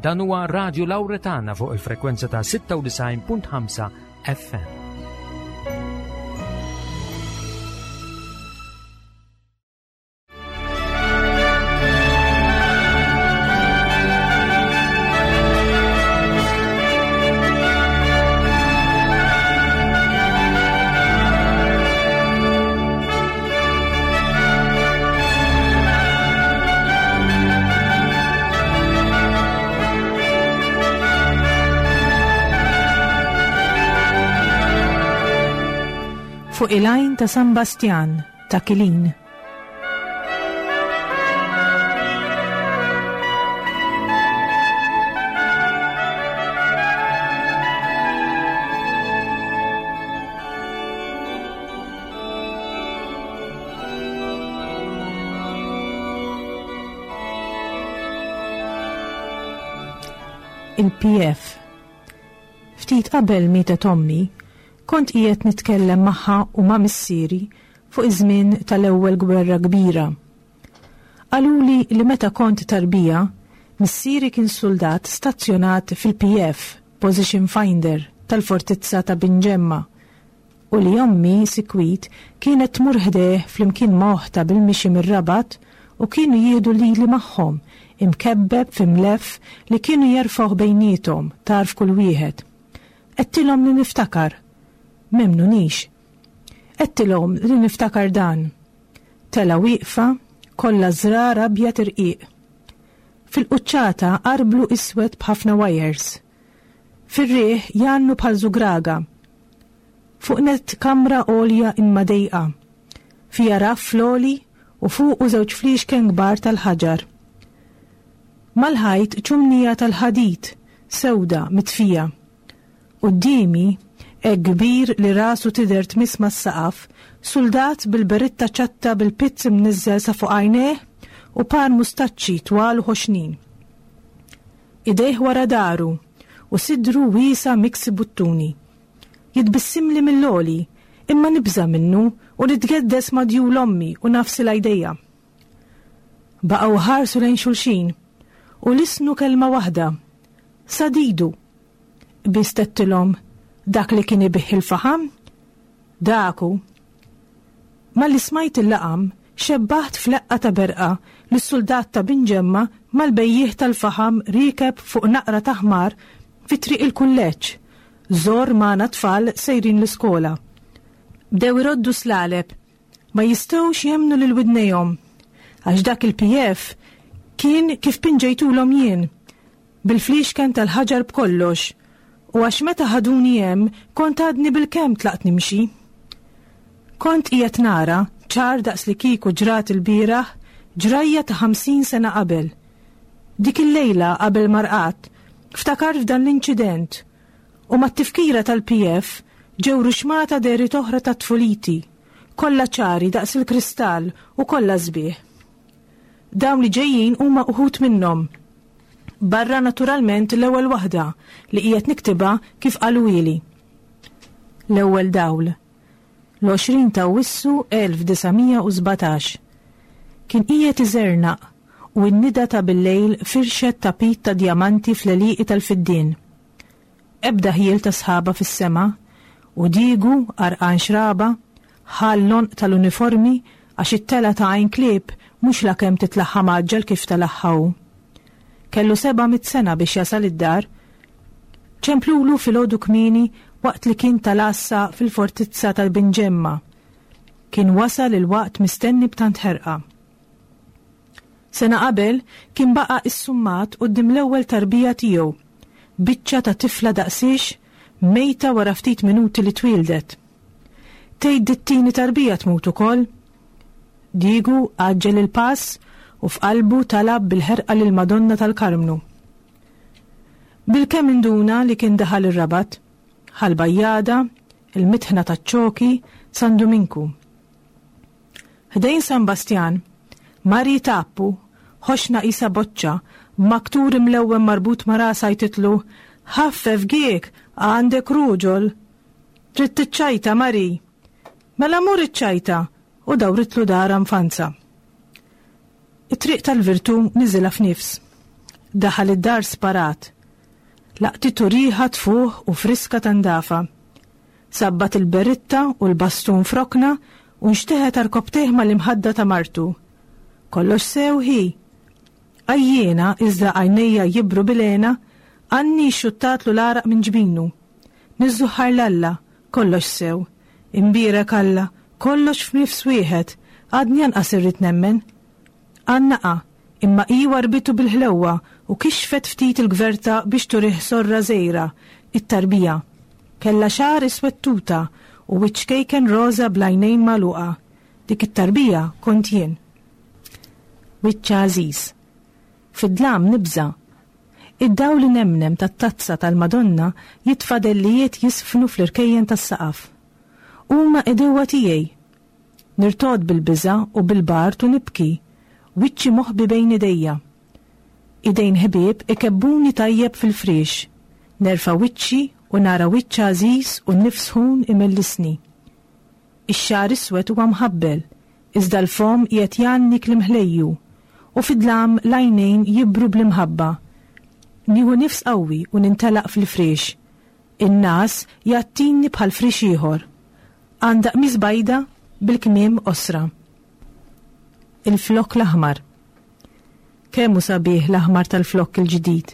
Dan huwa Radio Lauretana fuq il-frekwenza ta' 96.5 FM. Fuq il-għajn ta' San Bastjan ta' Kilin. Il-PF Ftit qabel mietet ommi, kont qiegħed nitkellem magħha u ma' missieri fuq iż-żmien tal-Ewwel Gwerra Kbira. Qaluli li meta kont tarbija, missieri kien suldat stazzjonat fil-PF, Position Finder, tal-Fortizza ta' Binġemma, u li ommi sikwit kienet tmur ħdejh flimkien ma' oħtha bil-mixi mir-Rabat u kienu jieħdu lili magħhom, imkebbeb fi mlef li kienu jerfgħuh bejniethom tarf kull wieħed. Għedtilhom li niftakar. M'emmnunix. Għedtilhom li niftakar dan. Telgħa wieqfa, kollha żrar abjad irqiq. Fil-quċċata arblu iswed b'ħafna wires. Fir-riħ jgħannu bħal żugraga. Fuq nett kamra għolja imma dejqa. Fiha raff fl-għoli u fuqu żewġ fliexken kbar tal-ħaġar. Mal-ħajt ċumnija tal-ħadid, sewda, mitfija. Quddiemi, hekk kbir li rasu tidher tmiss mas-saqaf, suldat bil-beritta ċatta bil-pizz imniżżel sa fuq għajnejh u par mustaċċi twal u ħoxnin. Idejh wara dahru u sidru wiesa' miksi buttuni. Jitbissimli mill-għoli, imma nibża' minnu u nitgeddes ma' djul ommi u nagħfsilha jdejha. Baqgħu ħarsu lejn xulxin u lissnu kelma waħda, Sadidu! Qbiżt għedtilhom, Dak li kien ibigħ il-faħam? Dak hu. Malli smajt il-laqam, xebbaħt f'leqqa ta' berqa lis-suldat ta' Binġemma mal-bejjiegħ tal-faħam riekeb fuq naqra ta' ħmar fi Triq il-Kulleġġ, żorr magħna tfal sejrin l-iskola. Bdew iroddu slaleb, ma jistgħux jemmnu lil widnejhom, għax dak il-PF kien kif pinġejtulhom jien, bil-fliexken tal-ħaġar b'kollox, u għax meta ħaduni hemm kont għadni bilkemm tlaqt nimxi. Kont qiegħed nara, ċar daqs li kieku ġrat ilbieraħ, ġrajja ta' 50 sena qabel. Dik il-lejla qabel ma rqadt, ftakart f'dan l-inċident u mat-tifkira tal-PF ġew ruxmata dehriet oħra ta' tfuliti, kollha ċari daqs il-kristall u kollha sbieħ. Dawn li ġejjin huma uħud minnhom. Barra naturalment l-ewwel waħda li qiegħed niktibha kif qaluhieli. L-ewwel dawl. L-20 ta' Awwissu 1917. Kien qiegħed iżernaq u n-nida ta' billejl firxet tapit ta' djamanti fl-għelieqi tal-fiddien. Ebda ħjiel ta' sħaba fis-sema, u Diegu, għarqan xraba, ħa l-għonq tal-uniformi għax it-telgħa ta' Għajn Klieb mhux lakemm titlagħha mgħaġġel kif telagħha hu. Kellu 700 sena biex jasal id-dar. Ċemplulu filgħodu kmieni waqt li kien tal-għassa fil-fortizza tal-Binġemma. Kien wasal il-waqt mistenni b'tant ħerqa. Sena qabel kien baqa' issummat quddiem l-ewwel tarbija tiegħu, biċċa ta' tifla daqsiex, mejta wara ftit minuti li twieldet. Tgħid dit-tieni tarbija tmut ukoll? Diegu għaġġel il-pass u f'qalbu talab bil-ħerqa lill-Madonna tal-Karmnu. Bilkemm induna li kien daħal ir-Rabat, Ħal Bajjada, il-Mitħna taċ-Ċoki, San Duminku. Ħdejn San Bastjan, Mari Tappu, ħoxna qisha boċċa, b'maktur imlewwen marbut ma' rasha jtitlu, Ħaffef giek, għandek ruġol! Trid tiċċajta, Mari? Mela mur iċċajta! U dawritlu darha nfanza. It-triq tal-virtù niżilha f'nifs. Daħal id-dar sparat. Laqtitu riħa tfuħ u friska ta' ndafa. Sabbat il-beritta u l-bastun f'rokna u nxteħet għarkopptejh mal-imħadda ta' martu. Kollox sew hi? Għajjiena iżda għajnejja jibru bil-hena, Anni xxuttatlu l-għaraq minn ġbinu. Niżżuħħar 'l Alla, kollox sew. Imbierek Alla, kollox f'nifs wieħed, għadni anqas irrid nemmen. Għannaqha, imma hi warrbitu bil-ħlewwa u kixfet ftit il-gverta biex turih sorra żgħira, it-tarbija. Kellha xagħar iswed tuta u wiċċ ċkejken roża bl-għajnejn magħluqa. Dik it-tarbija kont jien. Wiċċ għażiż. Fid-dlam nibża'. Id-dawl inemnem tat-tazza tal-Madonna jitfa' dellijiet jiżfnu fl-irkejjen tas-saqaf. Huma għedewwa tiegħi! Nirtogħod bil-biża' u bil-bard u nibki, wiċċi moħbi bejn idejja. Idejn ħbieb ikebbuni tajjeb fil-friex. Nerfa' wiċċi u nara wiċċ għażiż u nifs sħun imellisni. Ix-xagħar iswed huwa mħabbel, iżda l-fomm qiegħed jgħanni kliem ħlejju, u fid-dlam l-għajnejn jibru bl-imħabba. Nieħu nifs qawwi u nintelaq fil-friex. In-ngħas jgħattini bħal friex ieħor. Għandha qmis bajda bil-kmiem qosra. Il-flokk l-aħmar. Kemm hu sabiħ l-aħmar tal-flokk il-ġdid.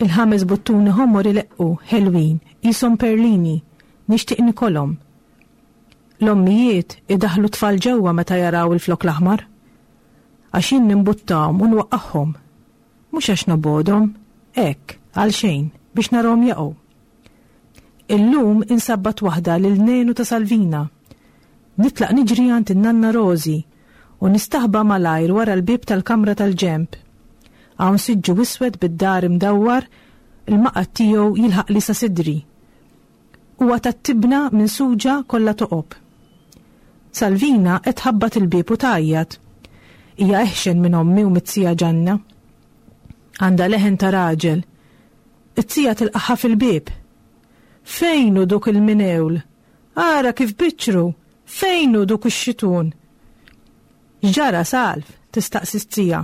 Il-ħames buttuni ħomor ileqqu, ħelwin, qishom perlini, nixtieq nikolhom. L-ommijiet idaħħlu t-tfal ġewwa meta jaraw il-flokk l-aħmar. Għax jien nimbuttahom u nwaqqagħhom. Mhux għax nobgħodhom, hekk, għalxejn, biex narahom jaqgħu. Illum insabbat waħda lil Nenu ta' Salvina. Nitlaq niġri għand in-nanna Rożi u nistaħba malajr wara l-bieb tal-kamra tal-ġenb. Hawn siġġu iswed bid-dar imdawwar, il-maqgħad tiegħu jilħaqli sa sidri. Huwa tat-tibna minsuġa kollha toqob. Salvina qed tħabbat il-bieb u tgħajjat. Hija eħxen minn ommi u mit-tija Ġanna. Għandha leħen ta' raġel. It-tija tilqagħha fil-bieb. Fejn hu duk il-minewl? Ara kif biċċru! Fejn hu duk ix-xitun? X'ġara, Salv? tistaqsi t-tija.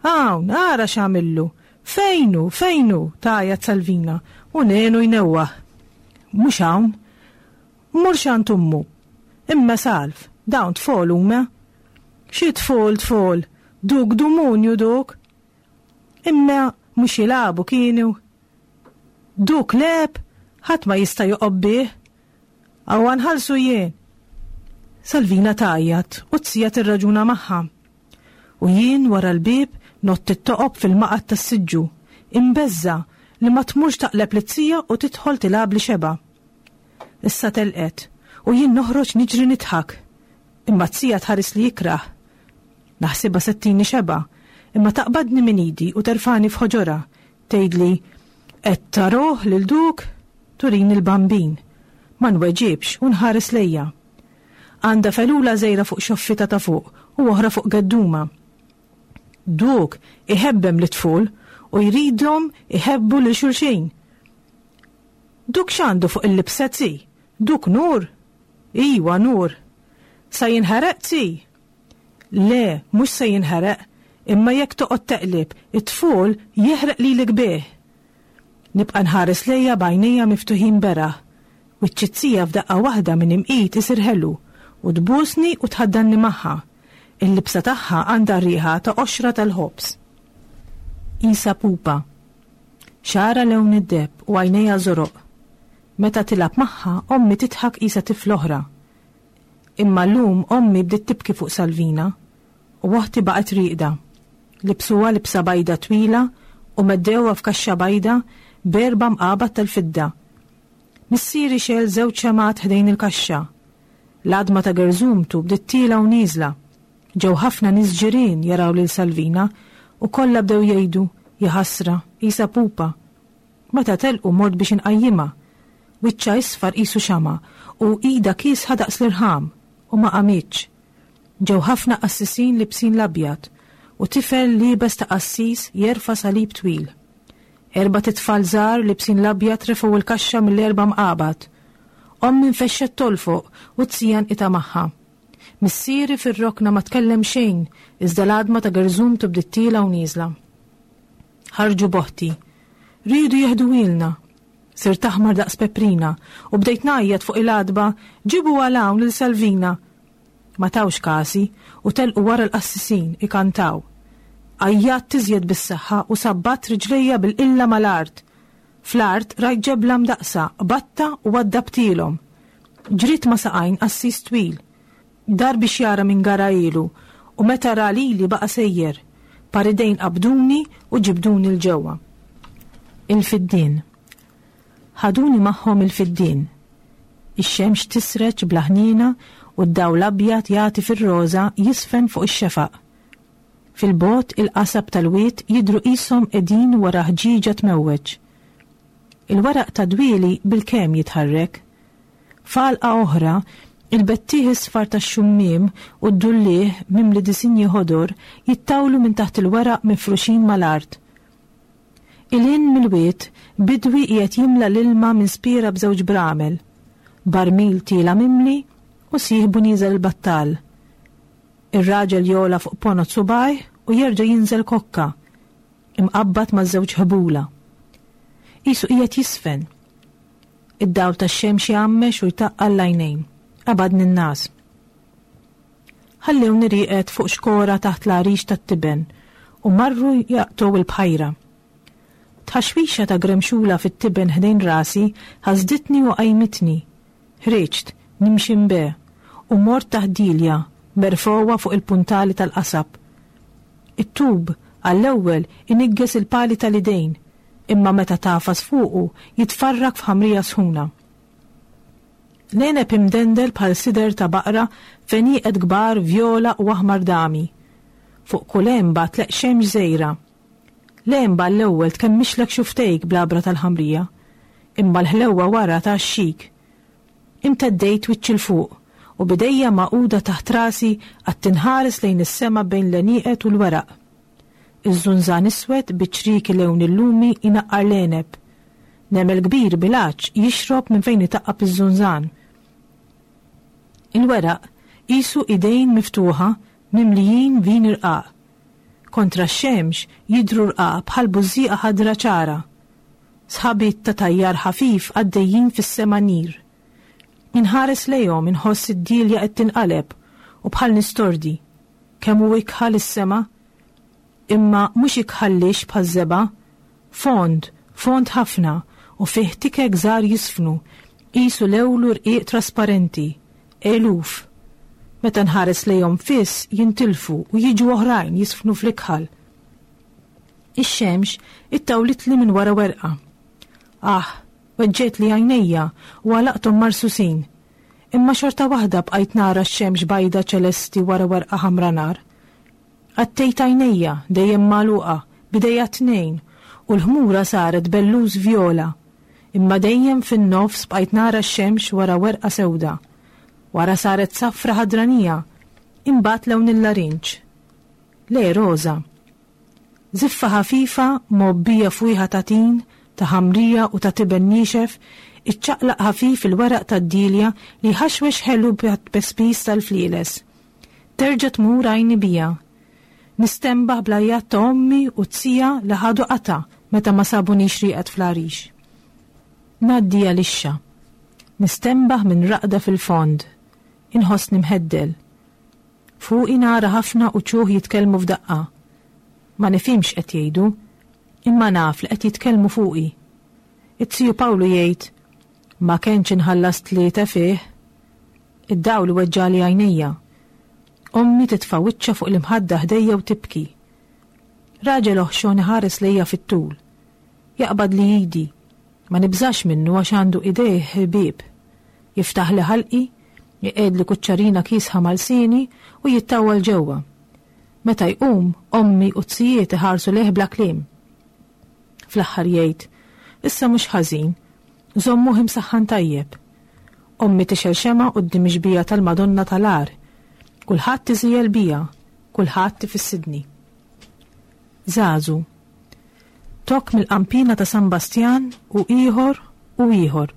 Hawn, ara x'għamillu! Fejn hu, fejn hu? tgħajjat Salvina, u Nenu jnewwaħ. Mhux hawn. Mur x'għand ommu. Imma Salv, dawn tfol huma? Xi tfol, tfol? Duk dumunju duk! Imma mhux jilagħbu kienu? Duk lgħeb, ħadd ma jista' joqgħob bih. Awwa nħallsu jien! Salvina tgħajjat u t-tija tirraġuna magħha. U jien wara l-bieb ngħodd it-toqob fil-maqgħad tas-siġġu, imbeżża' li ma tmurx taqleb lit-tija u tidħol tilgħabli xebgħa. Issa telqet u jien noħroġ niġri nidħak. Imma t-tija tħarisli ikrah. Naħsibha se ttini xebgħa, imma taqbadni minn idi u terfagħni f'ħoġorha, tgħidli, Qed taroh lil duk? Turini l-Bambin. Ma nweġibx u nħares lejha. Għandha felula żgħira fuq xoffitha ta' fuq u oħra fuq geddumha. Duk iħebbem lit-tful u jridhom iħebbu lil xulxin. Duk x'għandu fuq il-libsa zi? Duk nur? Iwa nur. Sa jinħereq zi? Le, mhux se jinħereq, imma jekk toqgħod teqleb, it-tful jeħreq lilek bih. Nibqa' nħares lejha b'għajnejja miftuħin beraħ. Wiċċ it-tija f'daqqa waħda minn imqit isir ħelu, u tbusni u tħaddanni magħha. Il-libsa tagħha għandha r-riħa ta' qoxra tal-ħobż. Qisha pupa. Xagħarha lewn id-deheb u għajnejha żoroq. Meta tilgħab magħha, ommi tidħak qisha tifla oħra. Imma llum ommi bdiet tibki fuq Salvina u oħti baqgħet rieqda. Libsuha libsa bajda twila u meddewha f'kaxxa bajda b'erba' mqabad tal-fidda. Missieri xegħel żewġ xemgħat ħdejn il-kaxxa. L-għadma ta' gerżumtu bdiet tielgħa u nieżla. Ġew ħafna nies ġirien jaraw lil Salvina u kollha bdew jgħidu, Jaħasra, qisha pupa. Meta telqu mort biex inqajjimha. Wiċċha isfar qisu xama' u idha kiesħa daqs l-irħam u ma qamitx. Ġew ħafna qassisin libsin l-abjad u tifel liebes ta' qassis jerfa' salib twil. Erbat itfal żgħar libsin l-abjad refgħu l-kaxxa mill-erba' mqabad. Ommi nfexxet tolfoq u t-tija nqita' magħha. Missieri fir-rokna ma tkellem xejn iżda l-għadma ta' gerżumtu bdiet tielgħa u nieżla. Ħarġu boħti. Riedu jeħduhielna. Sirt aħmar daqs peprina u bdejt ngħajjat fuq il-għatba, Ġibu għal hawn lil Salvina! Ma tawx kasi u telqu wara l-qassisin ikantaw. Għajjatt iżjed bis-saħħa u sabbatt riġlejja bil-qilla mal-art. Fl-art rajt ġebla mdaqqsa, qbadtha u waddabtielhom. Ġriet ma' saqajn qassis twil. Dar biex jara min garahielu u meta ra lili baqa' sejjer. Par idejn qabduni u ġibduni 'l ġewwa. Il-fiddien. Ħaduni magħhom il-fiddien. Ix-xemx tisreġ bla ħniena u d-dawl abjad jagħti fir-roża jiżfen fuq ix-xefaq. Fil-bogħod il-qasab tal-wied jidhru qishom qegħdin wara ħġieġa tmewweġ. Il-weraq tad-dwieli bilkemm jitħarrek. F'għalqa oħra, il-bettieħ isfar tax-xummiem u d-dulliegħ mimli disinji ħodor jittawlu minn taħt il-weraq mifruxin mal-art. 'Il hinn mill-wied, bidwi qiegħed jimla l-ilma minn spiera b'żewġ bramel. Barmil tiela' mimli u sieħbu nieżel il-battal. Ir-raġel jogħla fuq ponot subgħajh u jerġa' jinżel kokka, imqabbad ma' żewġ ħbula. Qisu qiegħed jiżfen. Id-dawl tax-xemx jgħammex u jtaqqal l-għajnejn. Qabadni n-ngħas. Ħallewni rieqed fuq xkora taħt l-għarix tat-tiben u marru jaqtgħu l-bħajra. Tħaxwixa ta' gremxula fit-tiben ħdejn rasi ħasditni u qajmitni. Ħriġt, nimxi mbe, u mort taħt dielja, merfgħuha fuq il-puntali tal-qasab. It-tub, għall-ewwel, iniggeż il-pali tal-idejn, imma meta tagħfas fuqu jitfarrak f'ħamrija sħuna. L-għeneb imdendel bħal sider ta' baqra f'għenieqed kbar vjola u aħmar dami. Fuq kull għenba tleqq xemx żgħira. L-għenba għall-ewwel tkemmixlek xufftejk bl-għabra tal-ħamrija. Imma l-ħlewwa wara tgħaxxik. Imteddejt wiċċi 'l fuq u b'idejja magħquda taħt rasi qgħadt inħares lejn is-sema bejn l-għenieqed u l-weraq. Iż-żunżan iswed bi ċrieki lewn il-lumi jnaqqar l-għeneb. Nemel kbir bil-għatx jixrob minn fejn itaqqab iż-żunżan. Il-weraq qisu idejn miftuħa mimlijin vin irqaq. Kontra x-xemx jidhru rqaq bħal bużżieqa ħadra ċara. Sħabiet ta' tajjar ħafif għaddejjin fis-sema nir. Inħares lejhom inħoss id-dielja qed tinqaleb u bħal nistordi. Kemm hu ikħal is-sema! Imma mhux ikħal lixx bħaż-żebgħa. Fond, fond ħafna u fih tikek żgħar jiżfnu, qisu lewlu rqiq trasparenti. Eluf. Meta nħares lejhom fiss jintilfu u jiġu oħrajn jiżfnu fl-ikħal. Ix-xemx ittawlitli minn wara werqa. Ah, weġġgħetli għajnejja u għalaqthom marsusin. Imma xorta waħda bqajt nara x-xemx bajda ċelesti wara werqa ħamra nar. Għattejt għajnejja, dejjem magħluqa, b'idejja t-tnejn, u l-ħmura saret belluż vjola. Imma dejjem fin-nofs bqajt nara x-xemx wara werqa sewda. Wara saret safra ħadranija, imbagħad lewn il-larinġ. Le, roża. Żiffa ħafifa, mgħobbija fwieħa ta' tin, ta' ħamrija u ta' tiben niexef, iċċaqlaq ħafif il-weraq tad-dielja li jħaxwex ħelu bħat-tpespis tal-flieles. Terġa' tmur għajni bija. Nistenbaħ bl-għajjat ta' ommi u t-tija li ħadu qatgħa meta ma sabunix rieqed fl-għarix. Ngħaddi għal ixxa. Nistenbaħ minn raqda fil-fond. Inħossni mħeddel. Fuqi nara ħafna uċuħ jitkellmu f'daqqa. Ma nifhimx x'qed jgħidu, imma naf li qed jitkellmu fuqi. It-tiju Pawlu jgħid, Ma kenx inħallas tlieta fih. Id-dawl iweġġagħli għajnejja. Ommi titfa' wiċċha fuq l-imħadda ħdejja u tibki. Raġel oħxon iħares lejja fit-tul. Jaqbadli idi. Ma nibżax minnu għax għandu idejh ħbieb. Jiftaħli ħalqi, iqegħedli kuċċarina kiesħa ma' lsieni u jittawwal ġewwa. Meta jqum, ommi u t-zijiet iħarsu lejh bla kliem. Fl-aħħar jgħid, Issa mhux ħażin. Żommuh imsaħħan tajjeb. Ommi tixgħel xemgħa quddiem ix-xbieha tal-Madonna tal-Għar. Kulħadd iżiegħel bija, kulħadd ifissidni. Żagħżu. Tokk mill-qanpiena ta' San Bastjan u ieħor u ieħor.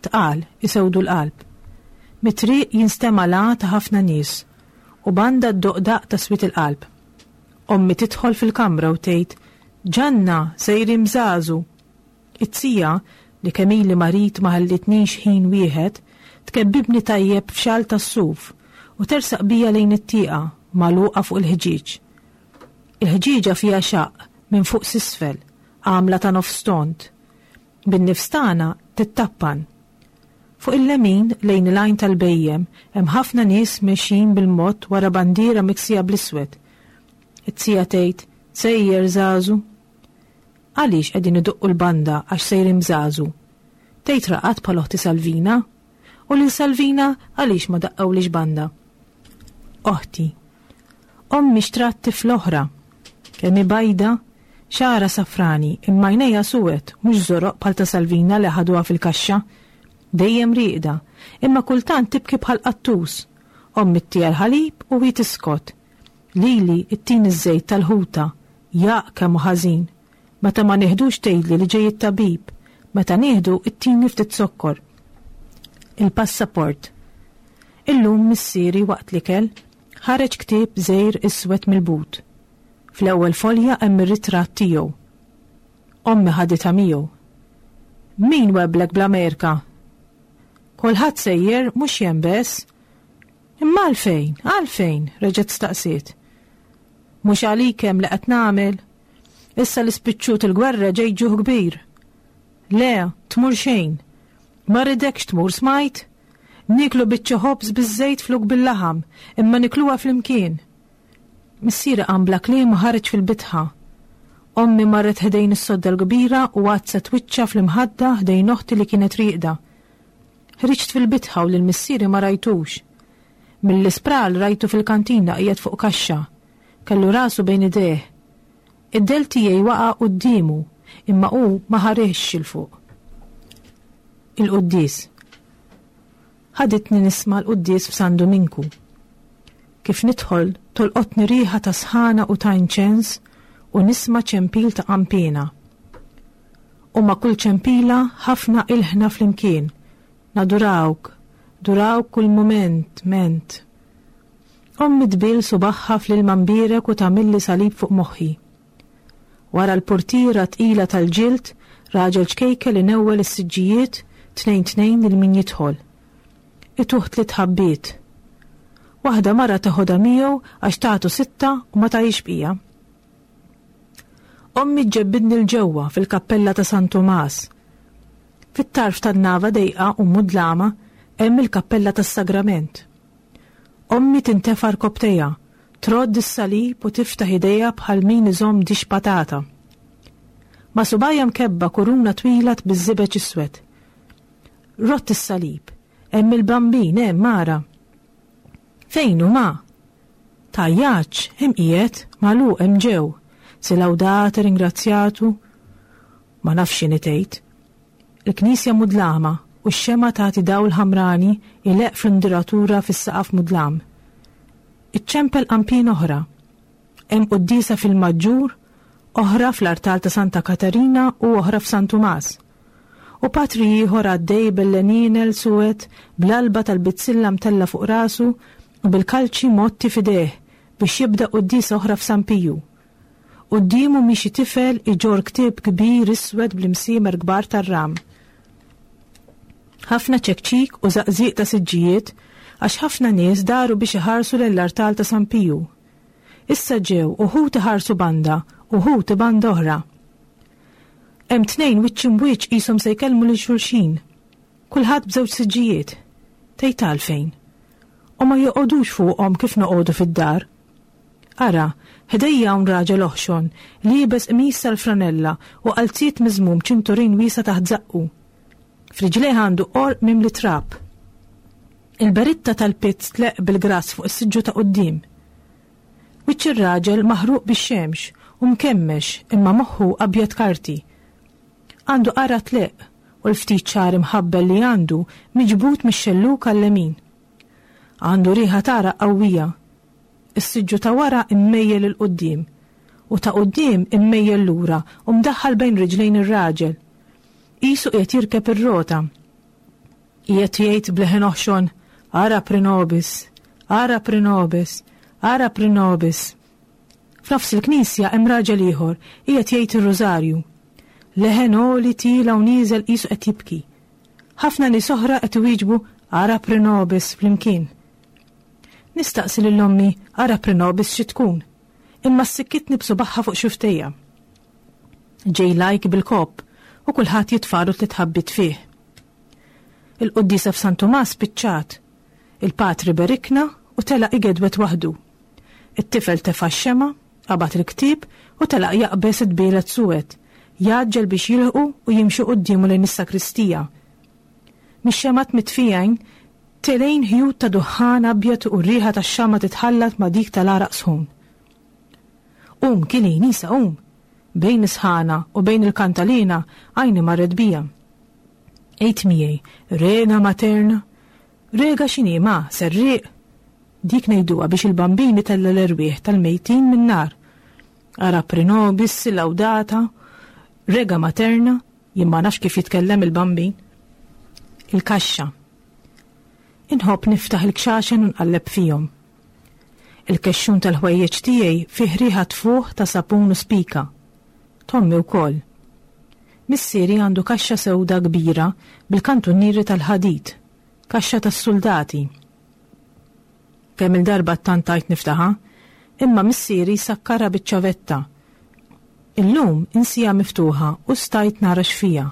Tqal, isewdu l-qalb. Mit-triq jinstema' l-għa ta' ħafna nies u banda ddoqq daqq ta' swied il-qalb. Ommi tidħol fil-kamra u tgħid, Ġanna, sejrin bżażu! It-tija, li kemm ili marid ma ħallitnix ħin wieħed, tkebbibni tajjeb f'xall tas-suf u tersaq bija lejn it-tieqa magħluqa fuq il-ħġieġ. Il-ħġieġa fiha xaqq minn fuq s'isfel, għamla ta' nofs tond. Bin-nifs tagħna tittappan. Fuq il-lemin, lejn il-għajn tal-bhejjem, hemm ħafna nies mexjin bil-mod wara bandiera miksija bl-iswed. It-tija tgħid, Sejjer żagħżu! Għaliex qegħdin idoqqu l-banda għax sejrin bżażu? Tgħid raqad bħal oħti Salvina? U lil Salvina għaliex ma daqqewlix banda? Oħti. Ommi xtrat tifla oħra. Kemm hi bajda, xagħarha safrani, imma għajnejha suwed, mhux żoroq bħal ta' Salvina li ħaduha fil-kaxxa. Dejjem rieqda, imma kultant tibki bħal qattus. Ommi ttiha l-ħalib u hi tiskot. Lili ttini ż-żejt tal-ħuta. Jaqq kemm hu ħażin. Meta ma nieħdux tgħidli li ġej it-tabib. Meta nieħdu ttini ftit zokkor. Il-passaport. Illum missieri waqt l-ikel ħareġ ktieb żgħir iswed mill-but. Fl-ewwel folja hemm ir-ritratt tiegħu. Ommi ħaditha miegħu. Min webblek bl-Amerika? Kulħadd sejjer mhux jien bess. Imma għalfejn, għalfejn? reġgħet staqsiet. Mhux għalik hemm li qed nagħmel? Issa li spiċċut il-gwerra ġej ġuħ kbir. Le, tmur xejn. Ma rridekx tmur smajt? Nieklu biċċa ħobż biż-żejt flok bil-laħam, imma nikluha flimkien. Missieri qam bla kliem u ħareġ fil-bitħa. Ommi marret ħdejn is-sodda l-kbira u għaddset wiċċha fl-imħadda ħdejn oħti li kienet rieqda. Ħriġt fil-bitħa u lil missieri ma rajtux. Mill-ispral rajtu fil-kantina qiegħed fuq kaxxa. Kellu rasu bejn idejh. Id-dell tiegħi waqa' quddiemu, imma hu ma ħarisx 'il fuq. Il-quddies. Ħaditni nisma' l-quddies f'San Duminku. Kif nidħol tolqotni riħa ta' sħana u ta' inċens u nisma' ċempil ta' qanpiena. U ma' kull ċempila ħafna ilħna flimkien. Nadurawk, durawk kull mument, ment. Ommi tbill subagħha fl-ilma mbierek u tagħmilli salib fuq moħħi. Wara l-purtiera tqila tal-ġild, raġel ċkejkel inewwel is-siġġijiet tnejn tnejn lil min jidħol. Ituh tliet ħabbiet. Waħda mara teħodha miegħu għax tagħtu sitta u ma tagħix bqija. Ommi ġġebbidni 'l ġewwa fil-kappella ta' San Tumas. Fit-tarf tan-nava dejqa u mudlama hemm il-kappella tas-Sagrament. Ommi tintefa' rkopptejha, trodd is-salib u tiftaħ idejha bħal min iżomm dix patata. Ma' subgħajha mkebba kuruna twila biż-żibeġ iswed. Rodd is-salib. Hemm il-Bambin, hemm, ara. Fejn hu ma? Tgħajjatx, hemm qiegħed, magħluq hemm ġew. Si lawdate, ringrazzjatu. Ma nafx x'inhi tgħid. Il-knisja mudlama u x-xemgħa tagħti dawl ħamrani jleqq fl-induratura fis-saqaf mudlam. Iċċempel qanpien oħra. Hemm quddiesa fil-Maġġur, oħra fl-artal ta' Santa Katarina u oħra f'San Tumas. U patri ieħor għaddej bil-lenienel suwed, bl-alba tal-bizzilla mtellgħa fuq rasu u bil-kalċi mgħotti f'idejh biex jibda quddiesa oħra f'San Piju. Quddiemu miexi tifel iġorr ktieb kbir iswed bl-imsiemer kbar tar-ram. Ħafna ċekċik u żaqżiq ta' siġġijiet għax ħafna nies daru biex iħarsu lejn l-artal ta' San Piju. Issa ġew uħud iħarsu banda, uħud banda oħra. Hemm tnejn wiċċ imbwiċċ qishom se jkellmu lil xulxin. Kulħadd b'żewġ siġġijiet. Tgħid għalfejn? U ma joqogħdux fuqhom kif noqogħdu fid-dar. Ara, ħdejja hawn raġel oħxon, liebes qmis tal-franella u qalziet miżmum ċinturin wiesa' taħt żaqqu. F'riġlejh għandu qorq mimli trab. Il-beritta tal-pizz tleqq bil-grass fuq is-siġġu ta' quddiem. Wiċċ ir-raġel maħruq bix-xemx u mkemmex imma moħħu abjad karti. Għandu qargħa tleqq u l-ftit xagħar imħabbel li għandu miġbud mix-xellug għal-lemin. Għandu riħa t'għaraq qawwija. Is-siġġu ta' wara mmejjel 'il quddiem u ta' quddiem immejjel lura u mdaħħal bejn riġlejn ir-raġel. Qisu qiegħed jirkeb ir-rota. Qiegħed jgħid b'leħen oħxon, Ara prinobis, ara prinobis, ara prinobis. F'nofs il-knisja hemm raġel ieħor qiegħed jgħid ir-rużarju. Leħen għoli tiela' u nieżel qisu qed jibki. Ħafna nies oħra qed iwieġbu Ara pre nobis flimkien. Nistaqsi lil ommi Ara pre nobis xi tkun, imma ssikkitni b'subagħha fuq xuftejja. Ġej lajk bil-kopp u kulħadd jitfagħlu tliet ħabbiet fih. Il-quddiesa f'San Tumas spiċċat. Il-patri berikna u telaq igedwed waħdu. It-tifel tefa' x-xemgħa, qabad il-ktieb u telaq jaqbeż it-tbielet suwed, jgħaġġel biex jilħqu u jimxi quddiemu lejn is-sakristija. Mix-xemgħat mitfijin telgħin ħjut ta' duħħan abjad u r-riħa tax-xama' titħallat ma' dik tal-għaraq sħun. Qum, Kili, Nisa, qum! Bejn is-sħana u bejn il-kantalina għajni marret bija. Għid miegħi, Rega Materna! Rega x'inhi, ma, serrieq? Dik ngħiduha biex il-Bambin itella' l-erwieħ tal-mejtin min-nar. Ara pre nobis, laudata, rega materna, jien ma nafx kif jitkellem il-Bambin. Il-kaxxa. Inħobb niftaħ il-kxaxen u nqalleb fihom. Il-kexxun tal-ħwejjeġ tiegħi fih riħa tfuħ ta' sapun u spika. T'ommi wkoll. Missieri għandu kaxxa sewda kbira bil-kantunieri tal-ħadid, kaxxa tas-suldati. Kemm-il darba ttantajt niftaħha, imma missieri jsakkarha biċ-ċavetta. Illum insiha miftuħa u stajt nara x'fiha.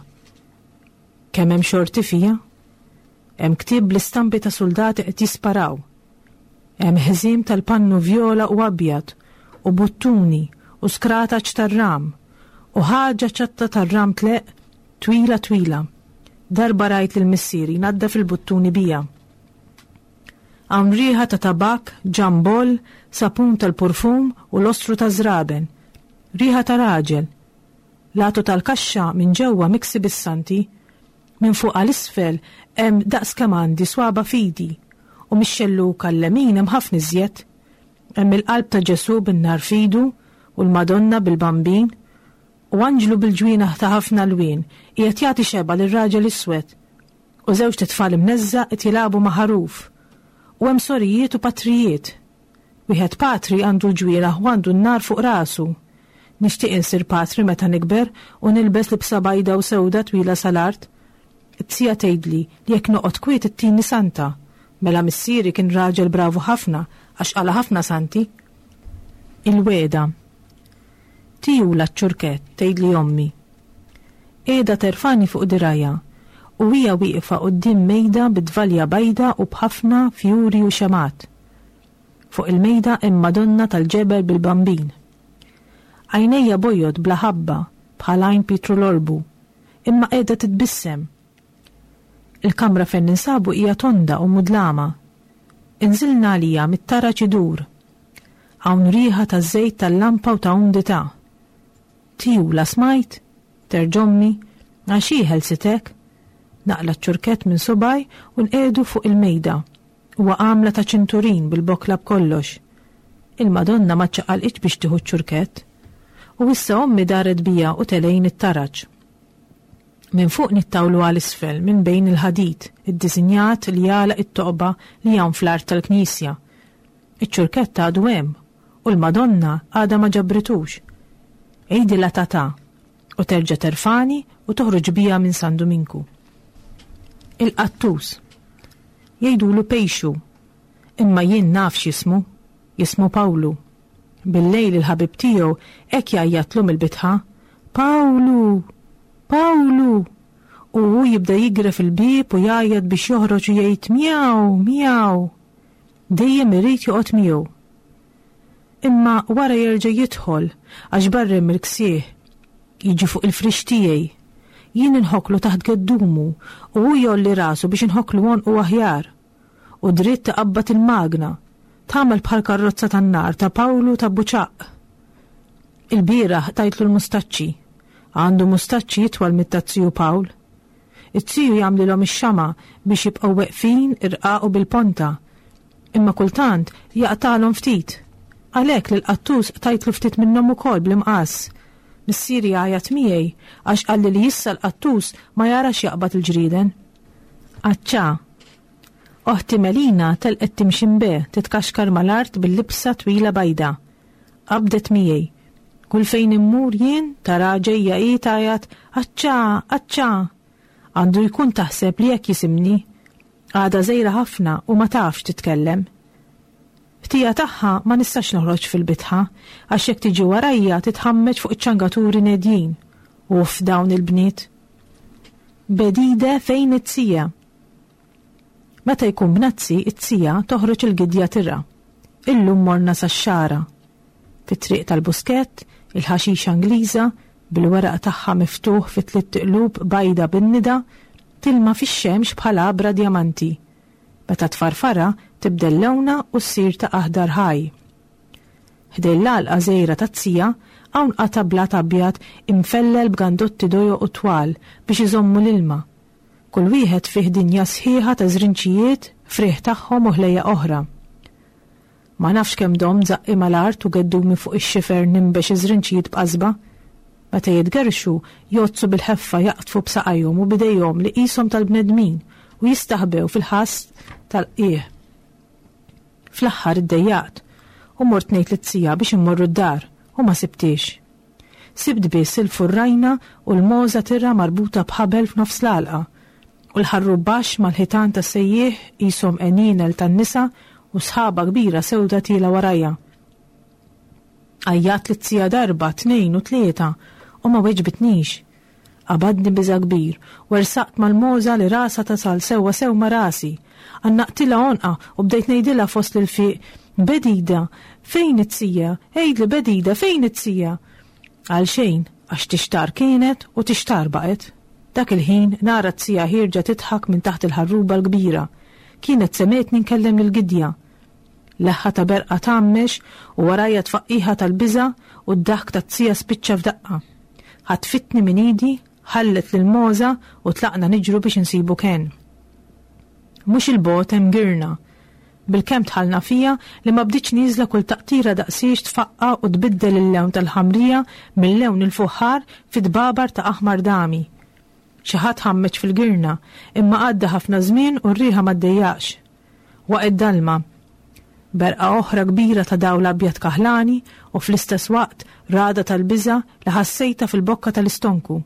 Kemm hemm xorti fiha! Hemm ktieb bl-istampi ta' suldati qed jisparaw. Hemm ħżiem tal-pannu vjola u abjad u buttuni u skrataċ tar-ram u ħaġa ċatta tar-ram tleqq twila twila. Darba rajt lil missieri jnaddaf il-buttuni biha. Hawn riħa ta' tabakk, ġamboll, sapun tal-purfum u lostru taż-żraben. Riħa ta' raġel. L-għatu tal-kaxxa minn ġewwa miksi bis-santi. Minn fuq għal isfel hemm daqs kemm għandi swaba' f'idi. U mix-xellug għal-lemin hemm ħafna iżjed. Hemm il-qalb ta' Ġesù bin-nar f'idu u l-Madonna bil-Bambin. U anġlu bil-ġwienaħ ta' ħafna lwien qiegħed jagħti xebgħa lir-raġel iswed. U żewġt itfal imneżża' qed jilagħbu ma' ħaruf. U hemm sorijiet u patrijiet. Wieħed patri għandu l-ġwienaħ u għandu n-nar fuq rasu. Nixtieq insir patri meta nikber u nilbes libsa bajda u sewda twila sal-art. It-tija tgħidli li jekk noqgħod kwiet ittini santa. Mela missieri kien raġel bravu ħafna għax qala' ħafna santi. Il-wegħda. Tijula ċ-ċurkett, tgħidli ommi. Qiegħda terfagħni fuq dirgħajha u hija wieqfa quddiem mejda bi tvalja bajda u b'ħafna fjuri u xemgħat. Fuq il-mejda hemm Madonna tal-ġebel bil-Bambin. Għajnejja bojod bla ħabba bħal għajn Pietru l-Orbu, imma qiegħda titbissem. Il-kamra fejn ninsabu hija tonda u mudlama. Inżilna għalija mit-taraġ idur. Hawn riħa ta' żejt tal-lampa u ta' umdità. Tijula smajt? Terġa' ommi, Għax hi ħelsitek? Naqla' ċ-ċurkett minn subgħaj u nqiegħdu fuq il-mejda. Huwa għamla ta' ċinturin bil-bokla b'kollox. Il-Madonna ma ċċaqalqitx biex tieħu ċ-ċurkett. U issa ommi daret bija u telgħin it-taraġ. Minn fuq nittawlu għal isfel minn bejn il-ħadid iddisinjat li jagħlaq it-toqba li hawn fl-art tal-knisja. Iċ-ċurkett għadu hemm u l-Madonna għadha ma ġabritux. Għidilha tata u terġa' terfagħni u toħroġ bija minn San Duminku. Il-qattus. Jgħidulu Pejxu. Imma jien naf x'jismu. Jismu Pawlu. Bil-lejl il-ħabib tiegħu hekk jgħajjatlu mill-bitħa, Pawlu! Pawlu! U hu jibda jigref il-bieb u jgħajjat biex joħroġ u jgħid mjaw, mjaw. Dejjem irid joqgħod miegħu. Imma wara jerġa' jidħol għax barra hemm il-ksieħ. Jiġi fuq il-frix tiegħi. Jien inħokklu taħt geddumu u hu jgħolli rasu biex inħokklu għonqu aħjar. U dritt iqabbad il-magna. Tagħmel bħal karrozza tan-nar ta' Pawlu ta' Buċaqq. Ilbieraħ qtajtlu l-mustaċċi. Għandu mustaċċi itwal mit-taz-ziju Pawl. Iz-ziju jagħmlilhom ix-xama' biex jibqgħu weqfin, irqaq u bil-ponta. Imma kultant jaqtagħlhom ftit. Għalhekk lill-qattus qtajtlu ftit minnhom ukoll bl-imqass. Missieri għajat miegħi għax qalli li issa l-qattus ma jarax jaqbad il-ġrieden. Aċċa! Oħti Melina telqet timxi mbe titkaxkar mal-art bil-libsa twila bajda. Qabdet miegħi. Kull fejn immur jien tara ġejja hi tgħajjat aċċa, aċċa! Għandu jkun taħseb li hekk jisimni. Għadha żgħira ħafna u ma tafx titkellem. Ħtija tagħha ma nistax noħroġ fil-bitħa għax jekk tiġi warajja titħammeġ fuq iċ-ċangaturi nedjin. Uff dawn il-bniet. Bedide fejn it-tija? Meta jkun bnazzi, it-tija toħroġ il-gidja tirgħa. Illum morna sax-xagħra. Fit-triq tal-Buskett, il-ħaxixa Ingliża, bil-weraq tagħha miftuħ fi tlitt iqlub bajda bin-nida, tilma fix-xemx bħal għabra djamanti. Meta tfarfarha, tibdel lewnha u ssir ta' aħdar ħaj. Ħdejn l-għalqa żgħira taz-zija, hawn qata' blat abjad imfellel b'gandotti dojoq u twal biex iżommu l-ilma. Kull wieħed fih dinja sħiħa ta' żrinċijiet, frieħ tagħhom u ħlejjaq oħra. Ma nafx kemm domt żaqqi mal-art u geddumi fuq ix-xifer ninbex iż-żrinċijiet b'qasba. Meta jitgerrxu, jgħoddsu bil-ħeffa jaqdfu b'saqajhom u b'idejhom li qishom tal-bnedmin u jistaħbew fil-ħass tal-qigħ. Fl-aħħar iddejjaqt u mort ngħid lit-tija biex immorru d-dar u ma sibthiex. Sibt biss il-furrajna u l-mogħża tirgħa marbuta b'ħabel f'nofs l-għalqa, u l-ħarrub baxx mal-ħitan tas-sejjieħ qishom għenienel tan-nisa u sħaba kbira sewda tielgħa warajha. Għajjatt lit-tija darba, tnejn u tlieta u ma weġbitnix. Qabadni biża' kbir u ersaqt mal-mogħża li rasha tasal sewwa sew ma' rasi. Għannaqtilha għonqha u bdejt ngħidilha fost l-ilfiq, Bedida, fejn it-tija? Għidli Bedida, fejn it-tija? Għalxejn, għax tixtarr kienet u tixtarr baqgħet. Dak il-ħin nara t-tija ħierġa tidħak minn taħt il-ħarruba l-kbira. Kienet semgħetni nkellem lill-gidja. Leħħa ta' berqa tgħammex u warajja tfaqqiħa tal-biża' u d-daħk tat-tija spiċċa f'daqqa. Ħatfitni minn idi, ħallet lill-mogħża u tlaqna niġru biex insibu kenn. Mhux 'il bogħod hemm girna. Bilkemm dħalna fiha li ma bdietx nieżla kull taqtira daqsiex tfaqqa' u tbiddel il-lewn tal-ħamrija minn lewn il-fuħħar fi tbabar ta' aħmar dami. Xi ħadd ħammeġ fil-girna, imma għadda ħafna żmien u r-riħa ma ddejjaqx. Waqgħet dalma. Berqa oħra kbira ta' dawl abjad kaħlani u fl-istess waqt ragħda tal-biża' li ħassejtha fil-bokka tal-istonku.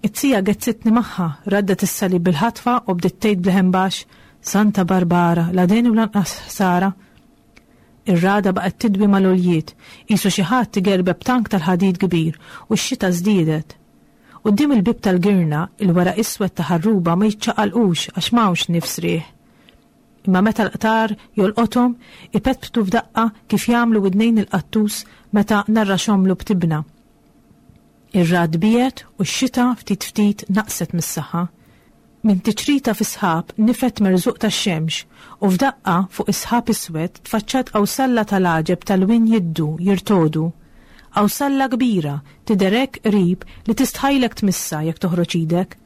It-tija gezzitni magħha, raddet is-salib bil-ħatfa u bdiet tgħid b'leħen baxx, Santa Barbara, la deni u lanqas ħsara. Ir-ragħda baqgħet tidwi mal-għoljiet, qisu xi ħadd igerbeb tank tal-ħadid kbir u x-xita żdiedet. Quddiem il-bieb tal-girna, il-weraq iswed ta' ħarruba ma jiċċaqalqux għax m'hawnx nifs riħ. Imma meta l-qtar jolqothom, ipetptu f'daqqa kif jagħmlu widnejn il-qattus meta narraxhomlu b'tibna. Ir-ragħad biegħed u x-xita ftit ftit naqset mis-saħħa. Minn tiċrita fis-sħab nifed merżuq tax-xemx u f'daqqa fuq is-sħab iswed tfaċċat qawsalla tal-għaġeb ta' lwien jiddu, jirtogħdu. Qawsalla kbira, tidher hekk qrib li tistħajlek tmissha jekk toħroġ idek.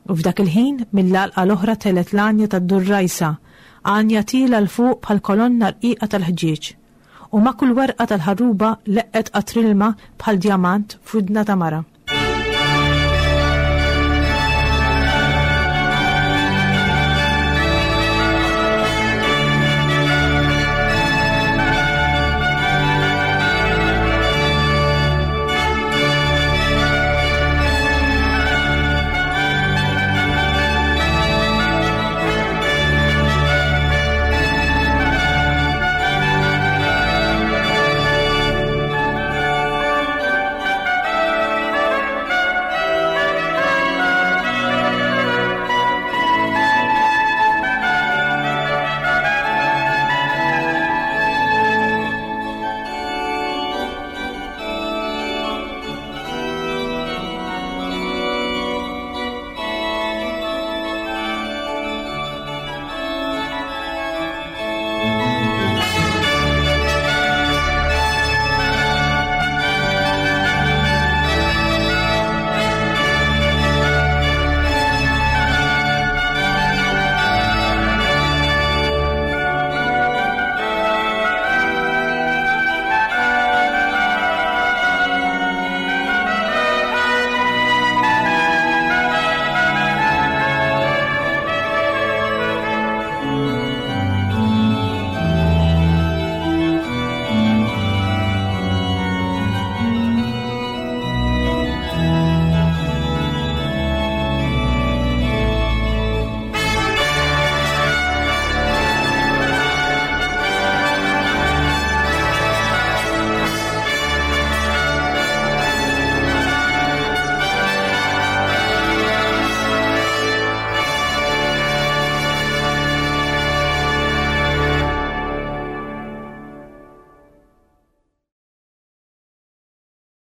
U f'dak il-ħin mill-għalqa l-oħra telgħet l-għanja tad-durrajsa, għanja tielgħa 'l fuq bħal kolonna rqiqa tal-ħġieġ. U ma' kull werqa tal-ħarruba leqqet qatr ilma bħal djamant f'widna ta' mara.